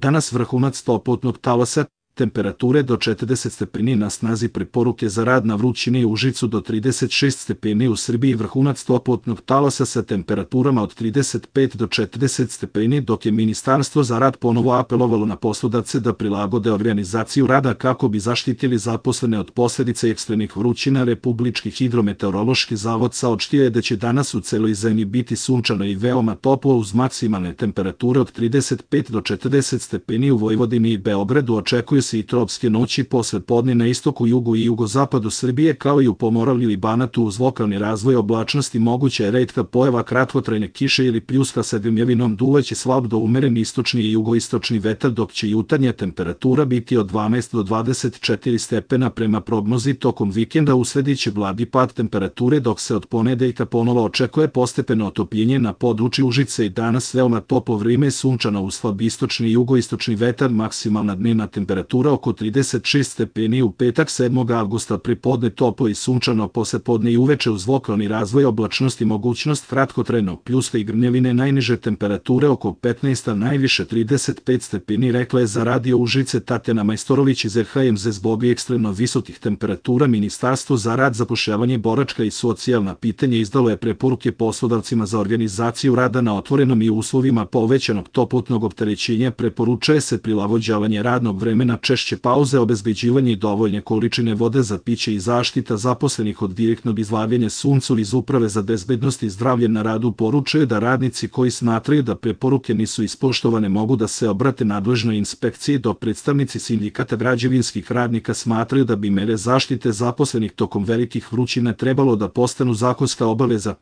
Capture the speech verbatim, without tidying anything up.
Danas vrhunac toplotnog talasa, temperature do četrdeset stepeni na snazi, preporuke za rad na vrućini u Užicu do trideset šest stepeni u Srbiji, vrhunac toplotnog talasa sa temperaturama od trideset pet do četrdeset stepeni, dok je Ministarstvo za rad ponovo apelovalo na poslodavce da prilagode organizaciju rada kako bi zaštitili zaposlene od posledica ekstremnih vrućina. Republički hidrometeorološki zavod saopštio je da će danas u celoj zemlji biti sunčano i veoma toplo uz maksimalne temperature od trideset pet do četrdeset stepeni. U Vojvodini i Beogradu očekuju se i tropske noći posle podne na istoku, jugu i jugozapadu Srbije, kao i u Pomoravlju i Banatu. Uz lokalni razvoj oblačnosti moguća je retka pojava kratkotrajne kiše ili pljuska sa grmljavinom. Duvaće slab do umeren istočni i jugoistočni vetar, dok će jutarnja temperatura biti od dvanaest do dvadeset četiri stepena. Prema prognozi, tokom vikenda uslediće blagi pad temperature, dok se od ponedeljka ponovo očekuje postepeno otopljenje na području Užice. I danas veoma toplo vreme, sunčano uz slab istočni i jugoistočni vetar, maksimalna dnevna temperatura oko trideset šest stepeni. U petak sedmog avgusta pripodne toplo i sunčano, poslepodne i uveče uz lokalni razvoj oblačnosti mogućnost kratkotrajnog pljuska i grmljavine, najniže temperature oko petnaest, a najviše trideset pet stepeni, rekla je za Radio Užice Tatjana Majstorović iz R H M Z. Zbog ekstremno visokih temperatura Ministarstvo za rad, zapošljavanje, boračka i socijalna pitanja izdalo je preporuke poslodavcima za organizaciju rada na otvorenom i u uslovima povećanog toplotnog opterećenja. Preporučuje se prilagođavanje radnog vremena, češće pauze, obezbeđivanje dovoljne količine vode za piće i zaštita zaposlenih od direktnog izlaganja suncu. Iz Uprave za bezbednost i zdravlje na radu poručuje da radnici koji smatraju da preporuke nisu ispoštovane mogu da se obrate nadležnoj inspekciji, dok predstavnici sindikata građevinskih radnika smatraju da bi mere zaštite zaposlenih tokom velikih vrućina trebalo da postanu zakonska obaveza.